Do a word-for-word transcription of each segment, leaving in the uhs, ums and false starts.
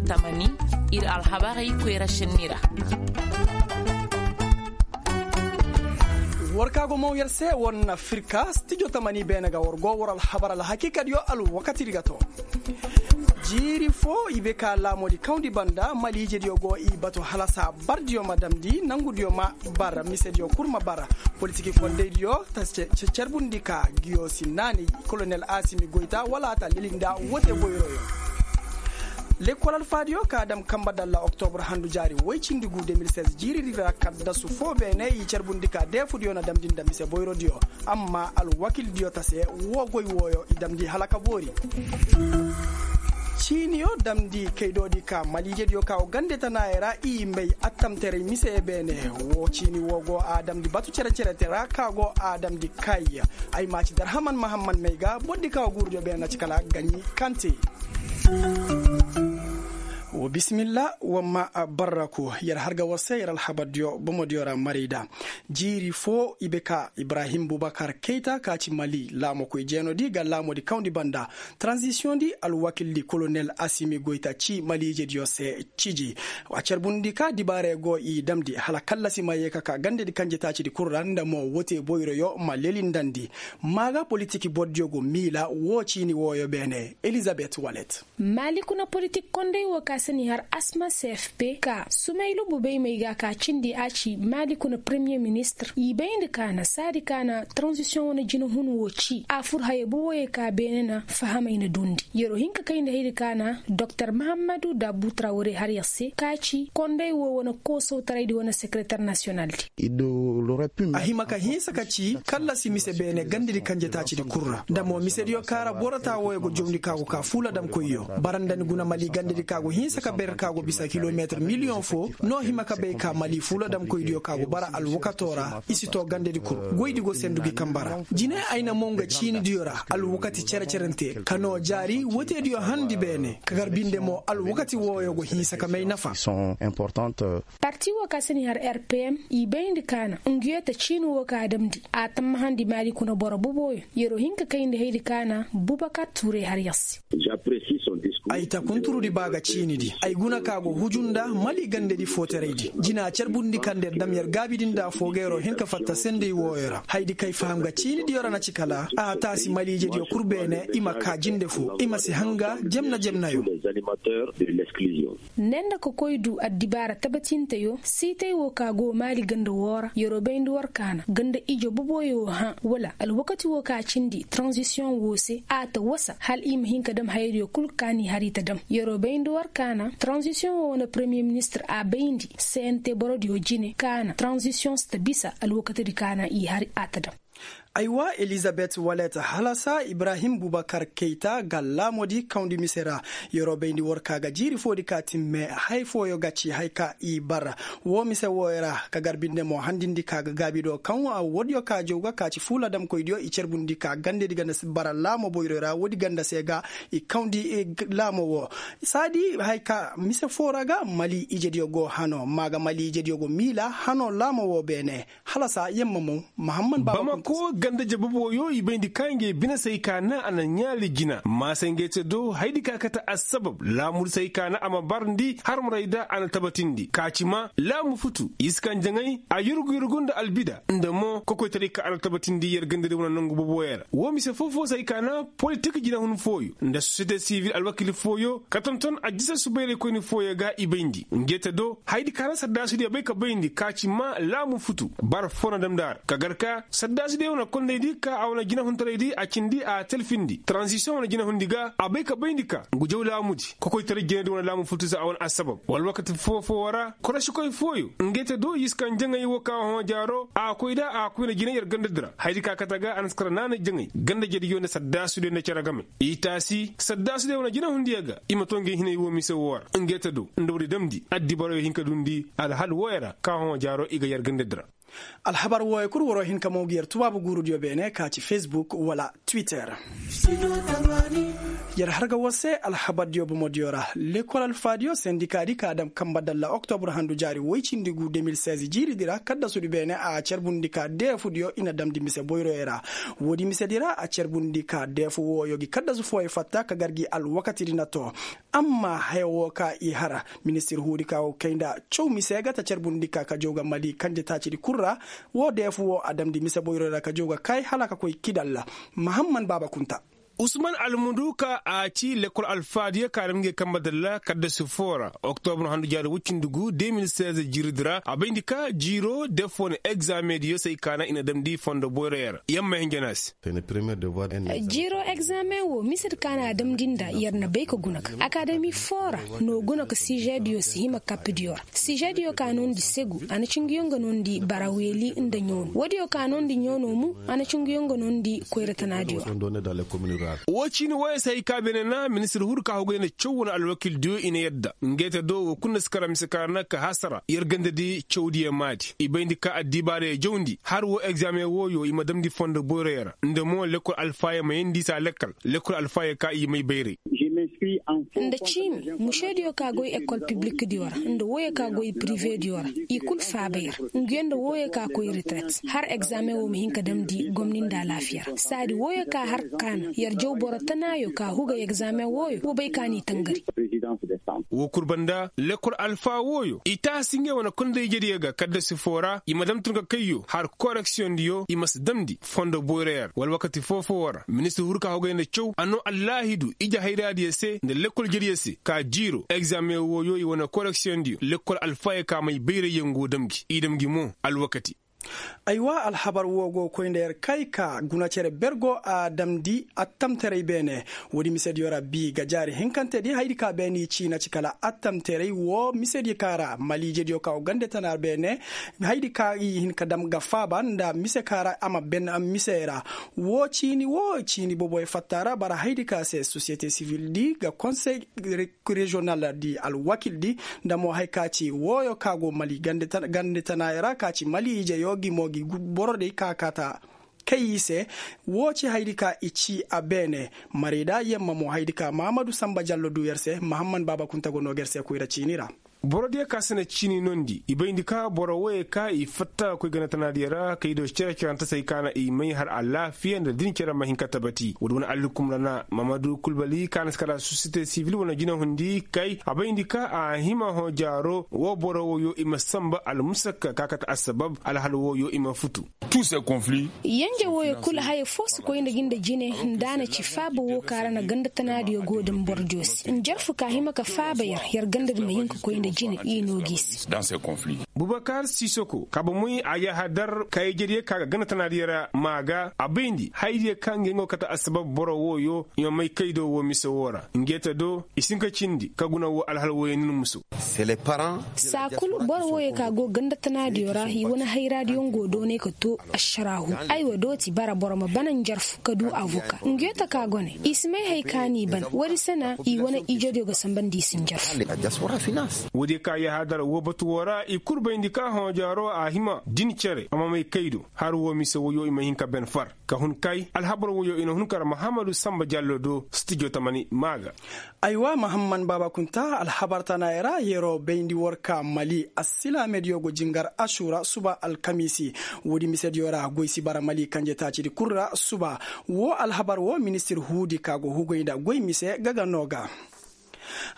Tamani, ir alhabarey koyra šenni ra. War ka go maw yer se war na firka stijo tamani beene ga war go war alhabar alhakiikadiyo alwakatidi ga to. Jiiri fo i be ka laamoodi kawndi banda maliijediyo go i batu hala saa bardiyo ma damndi nangudiyo ma bar misediyo kul ma bar. Politiki kondeydiyo ta carbundi ka ngiyo si naani kolonel asimi goyta wala a ta leli nda wote boyroyo. Lekkol alfaadiyo ka dam kamba dalla oktobur handu jaari woy cindi gu de mil seize jiiridi ra kaddasu fo beene i carbundi ka deefudiyo na damndi nda mise boyrodiyo. Amma alwakildiyo ta se woo goy wooyo i damndi hala ka boori. Ciiniyo damndi kaydoodi ka maliijediyo ka wo gande tanaayey ra i may attamterey mise beene. Woo ciini woo go a damndi batu cere-cerete ra ka go a damndi kay. Ay ma ci darhaman mahamman may ga bordi ka wo guurudiyo beene na ci kala gaɲi kante. Wa bisimilla wa ma barraku yer har ga war se yer alhabardiyo bomodiyo ra marayda. Jiiri fo i be ka ibrahim bubakar keyta ka ci mali laamokoy jeenodi ga laamoodi kawndi banda. Transisiyondi alwakildi kolonel asimi goyta ci maliijediyo se ciji. A carbundi ka dibaarey go i damndi hala kallasi ma yee ka ka gandedi kanjetaacidi kul ra nda mo wote boyroyo ma lelindandi. Maa ga politiki bordiyo go miila woo ciini wooyo beene elizabet walet. Maali kuna politik kondey woo ka se n'i har asma cfp ka sumaylu bubeymey ga ka cindi a ci maali kuna premiyer ministir i bayndi ka na saadi ka na transisiyoŋ wane jinahun woo ci a fur haya boboyey ka beene na fahamey na duundi. Yer'o hin ka kayndi haydi ka na doktor mahammadu dabu trawre har yer se ka ci kondey woo wane koosawtaraydi wane sekereter nasiyonaldi. A hima ka hinsa ka ci kallasi mise beene gandedi kanjetaacidi kul ra nda mo misediyo kaŋ ra boro taa wooyo go jawndi ka go ka fuuladamkoyyo. Bara nda ni guna mali gandedi ka go hinsa ka ber ka go bisa kilometir miliyoŋ fo no hima ka bay ka mali fuuladamkoydiyo ka go bara alwakato ra i si to gandedi kul. Goydi go sendu gi kamba ra. Jine ay na mo nga ciinidiyo ra alwakati cere-cerente ka no jaari woteediyo handi beene ka gar binde mo alwakati wooyo go hinsa ka may nafa. Parti woo ka se n'i har rpm i bayndi ka na ngiyo ta ciini woo ka damndi a tammahandi maali kuna boro boboyo. Yer'o hin ka kayndi haydi ka na bubakar tuuray har yer se. Ay ta kunturudi ba ga ciinidi ay guna ka go huju nda mali gandedi footaraydi jina carbundi kaŋ nda yer dam yer gaabidi nda afoo ga yer'o hin ka fatta senday wooyo ra haydi kay faham ga ciinidiyo ra na ci kala a taasi maliijediyo kul beene i ma kaa jinde fo i ma si hanga jemna-jemnayo. Ne nda ka koy du addibaara tabatinteyo siitay woo ka go maali ganda woo ra yer'o bayndi war ka na ganda ijo boboyo hã wala alwakati woo ka cindi transisiyoŋ woo se a ta wasa hala i ma hin ka dam hayadiyo kul ka n'i har i ta dam. Yer'o bayndi war ka na transisiyoŋ woo wane premiyer ministir a bayndi cnt borodiyo jine ka na transisiyoŋ si ta bisa alwakatidi ka na i har a ta dam. Aywa elizabet walet halasa ibrahim bubakar keyta ga laamodi kawndi mise ra. Yer'o bayndi war ka ga jiiri foodi ka timme hay fooyo ga ci hay ka i bara woo mise wooyo ra ka gar binde mo handindi ka ga gaabi do kaŋ woodiyo ka jaw ga ka ci fuuladamkoydiyo i carbundi ka gandedi ganda bara laamo boyroy ra woodi ganda se ga i kawndi laamo woo. Saadi hay ka mise foo ra ga mali ijediyo go hano ma ga mali ijediyo go miila hano laamo woo beene. Halasa yamma mo mahamman bamako ganda jababoyo i bayndi ka ngey bine say ka na a na ɲaali jina maasay ngey te do haydi ka kate assabab laamudi say ka na a ma barndi harmaray da a na tabatindi ka ci ma laamu futu i si kaŋ jaŋay a yurgu yurgu nda albida nda mo kokoytaray ka a na tabatindi yer gandadi wane nangu boboyo ra woo mise foo-foo say ka na politik jinahun fooyo nda sosiyete sivil alwakil fooyo ka tonton a jisa subayraykoyni fooyo ga i bayndi ngey te do haydi ka na saddaasudiyo bay ka bayndi ka ci ma laamu futu bara foo na damndi a ra ka gar ka saddaasudiyo wane kondaydi ka a wane jinahuntaraydi a cindi a talfindi taranzisiyoŋ wane jinahundi ga a bay ka bayndi ka ngu jaw laamudi kokoytaray jinadi wane laamu futu za a wane assabab wala wakati foo-foo ra korosikoy fooyo ngey te do i si kaŋ jaŋay woo ka hõ jaaro a koy da a koyna jina yer gandadi ra haydi ka kate ga a na si kara naanay jaŋay ganda jediyo nda saddaasudiyo nda cere game i taasi saddaasudiyo wane jinahundiyo ga i ma to ngey hinay woo mise woo ra ngey te do nda woodi damndi addibaroyo hin ka duundi alhal wooyo ra ka hõ jaaro i ga yer gandadi ra. Alhabar wooyo kul waroo hin ka mo ngi yer tubaabu guurudiyo beene ka ci facebook wala Twitter. Yer har ga war se alhabardiyo bomodiyo ra. Lekol alfaadiyo sendikaadi ka dam kamba dalla oktobur handu jaari woy cindi gu de mil seize jiiridi ra kaddasudi beene a cerbundi ka deefudiyo i na damndi mise boyroyo ra. Woodi misedi ra a cerbundi ka deefu wooyo gi kaddasu fooyo fatta ka gar gi alwakatidi na too. Amma haya woo ka i har, ministir huudi ka go kay nda caw mise ga ta cerbundi ka ka jaw ga mali kanje taacidi kul ra. Woo deefu woo a damndi mise boyroyo ra ka jaw ga kay hala ka koy kidalla. Mahamman baaba kunta. Usman almuduka a ci lekol alfaadiyo ka dam ngey kamba dalla kaddasu foo ra oktobur handu jaari woy cindi gu de mil seize jiiridi ra a bayndi ka jiiro deefu wane egzaamediyo se ay kaana i na damndi fondo boyroyo ra yamma hinja no a se. Jiiro egzaameŋ woo misedi ka na a damndi nda yer na bay ka guna ga akademi foo ra. No guna ka sižediyo si hima kappidiyo ra. Sižediyo ka noondi segu a na ci nguyo nga noondi bara weeli nda ɲoono woodiyo ka noondi ɲoono mu. A na ci nguyo nga noondi koyra tanaadiyo ra. Woo ciini wooyo se hay ka beene na ministir huudi ka hogay nda caw wane alwakildiyo i na yadda ngey te do woo kul na si kara mise ka ra na ka hasara yer gandadi cawdiyo maadi i bayndi ka addibaarey jawndi har woo egzaameŋ wooyo i ma damndi fondo boyroyo ra nda mo lekkol alfaayo ma yeendi se a lekkal lekkol alfaayo ka i may bayray. Nda ciini mušediyo ka goy ekol piblikdiyo ra nda wooyo ka goy pirivediyo ra i kul faaba yer. Nguyo nda wooyo ka koy reteret har egzaameŋ woo ma hin ka damndi gomni nda alaafiya ra saadi wooyo ka har kaana yer jaw boro tanaayo ka hugay egzaameŋ wooyo wa bay ka n'i tangari. Woo kul banda lekkol alfaa wooyo i taasi ngey wane kondayjediyo ga kaddasi foo ra i ma dam tun ka kayyo har koreksiyoŋdiyo i ma si damndi fondo boyroyo ra wala wakati foo-foo woo ra ministir huru ka hogay nda caw a noo allaahidu ije hayraadiyo se nda lekkoljediyo se ka jiiro egzaameŋ wooyo i wane koreksiyoŋdiyo lekkol alfaayo ka may bayray yer go dam gi i dam gi mo alwakati. Aywa alhabar woo go koy nda yer kay ka guna cere ber go a damndi attamteray beene. Woodi misediyo ra bi ga jaari hinkantedi hayadi ka beene i ciina ci kala attamteray woo misediyo ka ra maliijediyo ka go gande tana beene. Hayadi ka i hin ka dam ga faaba nda mise ka ra a ma ben mise ra. Woo ciini woo ciini boboy fatta ra bara hayadi ka se sosiyete sivildi ga konsey reziyonaldi alwakildi nda mo haya ka ci wooyo ka go mali gande tanaayey ra ka ci mali ijeyo gi mo gi borodiyo ka kaata kay i se. Woo ci hayadi ka i ci a beene. Marayda yamma mo hayadi ka mahamadu sanba jallo du yer se mahamman baaba kunta go noo ga yer se koyra ciini ra. Borodiyo ka si na ciini noondi i bayndi ka boro wooyo ka i fatta ga koy ganda tanaadiyo ra kay do cere-cerante se ay ka na i may har alaafiya nda din cere ma hin ka tabati woodi wane alhukum ra na mahamadu kulbali ka na si kara sosiyete sibil wane jinahundi kay a bayndi ka a hima hõ jaaro woo boro wooyo i ma sanba almusakka ka kate assabab alhal wooyo i ma futu. Yanje wooyo kul haya foo si koy nda gi nda jine nda a na ci faaba woo ka ra na ganda tanaadiyo go da ma boro joosi njarfu ka hima ka faaba yer yer gandadi ma hin ka koy nda jine i noo gi se. Bubakar sisoko kaaba moy a yahadar kaayijediyo ka ga ganda tanaadiyo ra maa ga a bayndi hayadiyo ka ngey nga go kate assabab boro wooyo i ma may kaydo woo mise woo ra ngey te do i si hin ka cindi ka guna woo alhal wooyo nin musu. Saa kul boro wooyo ka go ganda tanaadiyo ra i wane hayraadiyo nga go doonay ka too ašaraahu. Aywa dooti bara boro ma bana njarfu ka duu avoka nguyo taka gone i si may haya ka n'i ban woodi se na i wane ijediyo ga sanba nda i si njarfu. Woodiyo ka yahaadar woo batu woo ra i kul bayndi ka hõ jaaro a hima din cere a ma may kaydo har woo mise woyo i ma hin ka ben far ka hun kay alhabar woyo i na hun kar mahammadu sanba jallo do stijo tamani maa ga. Aywa mahamman baaba kunta alhabar tanaayey ra yeroo bayndi war ka mali assilaamediyo go jingar asuura suba alkamiisi. Woodi misediyo ra goy si bara mali kanje taacidi kul ra suba. Woo alhabar woo ministir huudi ka go hugay nda goy mise ga ga noo ga.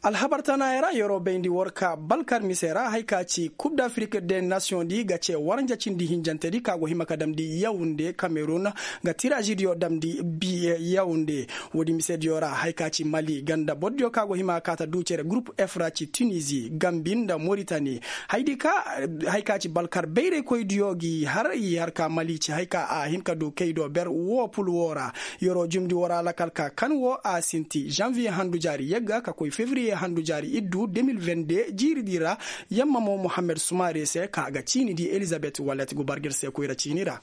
Alhabar tanaayey ra yeroo bayndi war ka balkar mise ra haya ka ci kub dafirik de nasiyoŋ di ga cee waranja cindi hinjantedi ka go hima ka damndi yawunde kamerun ga tiraazidiyo damndi bi yawunde. Woodi misediyo ra haya ka ci mali ganda bordiyo ka go hima ka ta duu cere gurup f ra ci tunizi gambi nda moritani. Haya ka ci balkar bayraykoydiyo gi har i har ka mali ci haya ka a hin ka duu kaydo ber woo pul woo ra. Yeroo jumndi woo ra lakal ka kan woo a sinti zanviye handu jaari yagga ka koy. fevriye handu jaari iddu de mil vende jiiridi ra. Yamma mo mohammed sumaare se ka a ga ciinidi elizabet wallet go bargir se koyra ciini ra.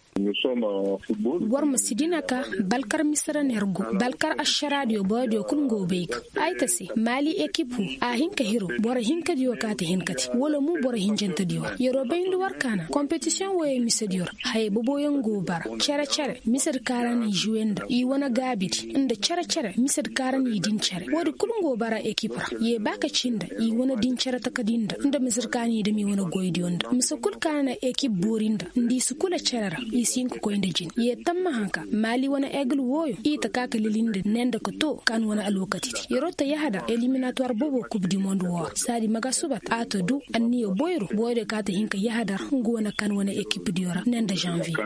War ma si dina ka balkar misira ner go balkar ašaraadiyo boyodiyo kul ngo bay ga. Ay ta se maali ekip wo a hin ka hiro boro hinkadiyo ka ta hin ka te wala mu boro hinjantadiyo ra yeroo bayndi war ka na kompetisiyoŋ wooyey misediyo ra. Hayey boboyaŋ go bara cere-cere misedi ka ra na i žuwe nda i wane gaabidi nda cere-cere misedi ka ra na i din cere woodi kul ngo bara ekip ra. Ye ba ka ci nda i wane din cere takadi nda nda misedi ka na i dam i wane goydiyo nda mise kul ka na ekip boori nda nda i si kula cere ra. I si hin ka koy nda jin ye tammaha ka maali wane egil wooyo i ta ka ka lili nda ne nda ka to ka na wane alwakatidi yeroo ta yahadar eliminatuwar bobo kub di mond woo ra saadi maga subat a ta du anniya boyro boyro ka ta hin ka yahadar nga wane kan wane ekipdiyo ra ne nda žanviye.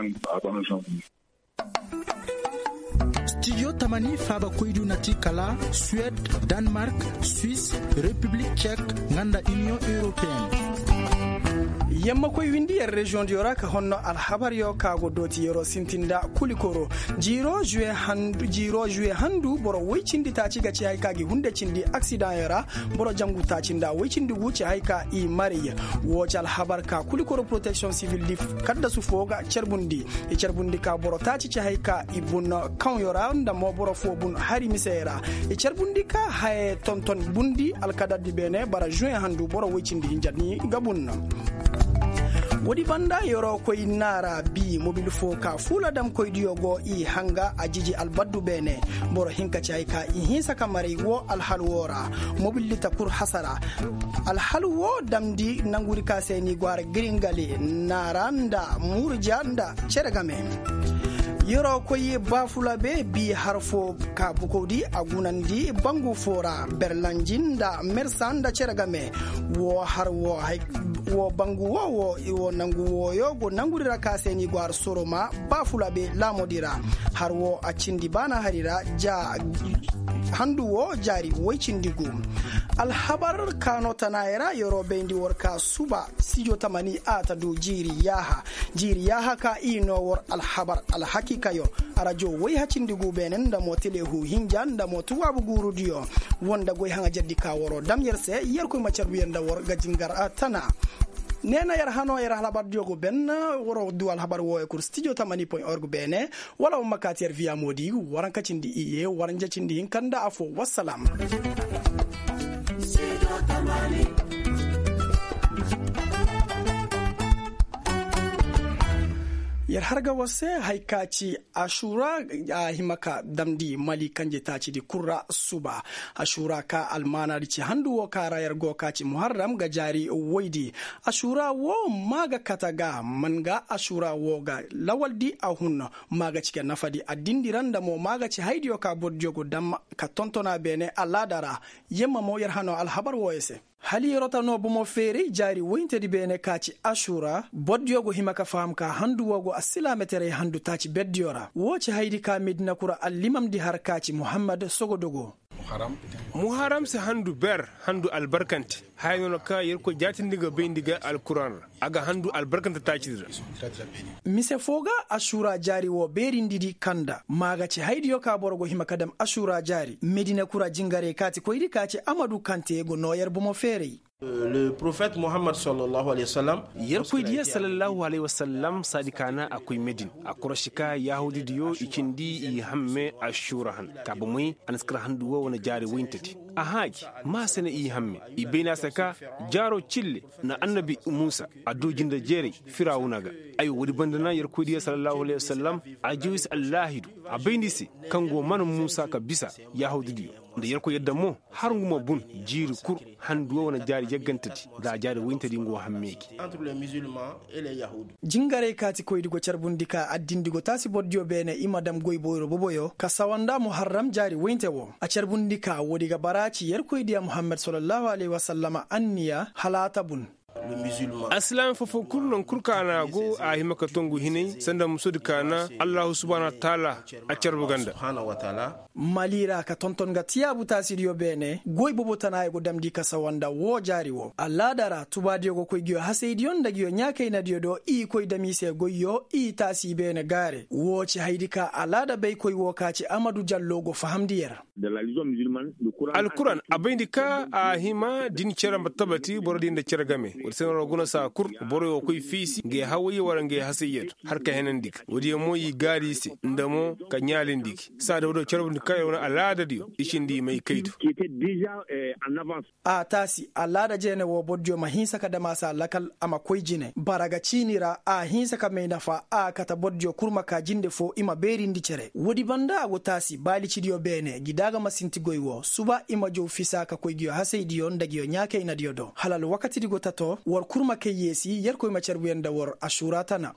Stijo tamani faaba koydu na ti kala suwed, danmark, swis, repiblik cek, nga nda iniyoŋ europeen. Yamma koy windi yer reziyoŋdiyo ra ka honno alhabaryo ka go dooti yeroo sintin nda kulikoro. Jiiroo zuwe handu boro woy cindi taaci ga ci hay ka gi hunde cindi aksidaŋyo ra. Boro jangu taaci nda woy cindi gu ci hay ka i marey. Woo ci alhabar ka kulikoro poroteksiyoŋ sivil di kaddasu foo ga carbundi. I carbundi ka boro taaci ci hay ka i bun kaŋyo ra nda mo boro foo bun hari misey ra. I carbundi ka haya tonton bundi alkadardi beene bara zuwe handu boro woy cindi hinja ni ga bun. Woodi banda yeroo koy naara bi mobil foo ka fuula damkoydiyo go i hanga a jiji albaddu beene. Boro hinka ci hay ka i hinsa ka maray woo alhal woo ra. Mobil di ta kur hasara. Alhal woo damndi nangudi ka se ni go har giringale naara nda murja nda cere game. Yeroo koy baafulabe bi har foo ka bukowdi a gunandi bangu foo ra berlanji nda mersa nda cere game. Woo har woo bangu woo woo nangu wooyo go nangudi ra ka se ni go har soroma baafulabe laamudi ra. Har woo a cindi baana hari ra ja handu woo jaari woy cindi gu. Alhabar kaano tanaayey ra yeroo bayndi war ka suba sijo tamani a ta du jiiri yaaha. Jiiri yaaha ka i noo war alhabar alhakiikayo. Arajo woy hacindi gu beene nda mo telehu hinja nda mo tuwaabu guurudiyo. Woo nda goy haŋajerdi ka waroo dam yer se yerkoy ma carbu yer nda war ga jingar tana. Neena yer hanoo yer alhabardiyo go ben. Waroo du alhabar wooyo kul stijo tamani point org beene. Wala war ma kaati yer viya moodi waranka cindi iyye waranja cindi hinka nda afoo wassalam. Yer har ga war se haya ka ci asuura a hima ka damndi mali kanje taacidi kul ra suba. Asuura ka almaanaadi ci handu woo ka ra yer go ka ci muharram ga jaari woydi. Asuura woo maa ga kate ga man ga asuura woo ga lawaldi a hun. Maa ga ci ga nafadi addindi ra nda mo maa ga ci haydiyo ka bordiyo go dam ka tonton a beene alaada ra. Yemma mo yer hanoo alhabar wooyo se. Hala yeroo ta noo bomo feeray jaari woyintedi beene ka ci asuura bordiyo go hima ka faham ka handu woo go alsilaametaray handu taaci berdiyo ra woo ci haydi ka medina kura allimamdi har ka ci muhammad sogodogo. Muharam si handu ber handu albarkante. Haya noona ka yerkoy jaatindi ga bayndi ga alkuran ra a ga handu albarkante taacidi ra. Mise foo ga asuura jaari woo beerindidi kanda maa ga ci haydiyo ka boro go hima ka dam asuura jaari medina kura jingarey kaatikoydi ka ci amadu kante go noo yer bomo feeray. Yerkoydiyo sallallahu alayhi wasallam saadi ka na a koy medin a korosi ka yahuudidiyo i cindi i hamme asuura han ka bomey a na si kar handu woo wane jaari woyintedi. A hãa gi maa se na i hamme i bayna se ka jaaroo cille na annabi muusa a duu jinde jeeray firawuna ga. Ay woodi banda na yerkoydiyo sallallahu alayhi wasallam a jawis allaahidu a bayndi se kaŋ go man muusa ka bisa yahuudidiyo nda yerkoy yadda mo har ngu ma bun jiiri kul handu woo wane jaari yaggantedi nda a jaari woyintedi ngu hamme gi. Jingarey kaatikoydi go carbundi ka addindi go taasi bordiyo beene i ma dam goy boyro boboyo ka sawa nda muharram jaari woyinte woo a carbundi ka woodi ga bara ci yerkoydiya muhammad sallallahu alayhi wasallama anniya hala a ta bun. Alsilaami foo-foo kul non kul ka a na a go a hima ka tongu hinay sanda musudi ka na allahu subaana wataala a carbu ganda. Mali ra ka tonton ga tiyaabu taasidiyo beene goy bobo tana i go damndi ka sawa nda woo jaari woo alaada ra tubaadiyo go koy nguyo hasaydiyo nda nguyo ɲaakaynadiyo do i koy dam i se goyyo i taasi beene gaare woo ci hayadi ka alaada baykoy woo ka ci amadu jallo go fahamndi yer. Alkuran a bayndi ka a hima da ni cere ma tabati borodiyo nda cere game woodi se no ra guna saa kul boroyo koy fiisi ngay hawayyo wala ngay hasayyo do har ka henandi ga woodiyo mo i gaari i se nda mo ka ɲaalindi gi saa da woodiyo carbundi ka yer wane alaadadiyo i cindi i may kay do. A taasi alaada jeene woo bordiyo ma hinsa ka dam a se a lakal a ma koy jine bara ga ciini ra a hinsa ka may nafa a kate bordiyo kul ma ka jinde foo i ma beerindi cere woodi banda a go taasi baalicidiyo beene ngi da a ga ma sinti goy woo suba i ma jow fisa ka koy nguyo hasaydiyo nda nguyo ɲaakaynadiyo do hala alwakatidi go tato war kul ma kay yeesi yerkoy ma carbu yer nda war asuura tana.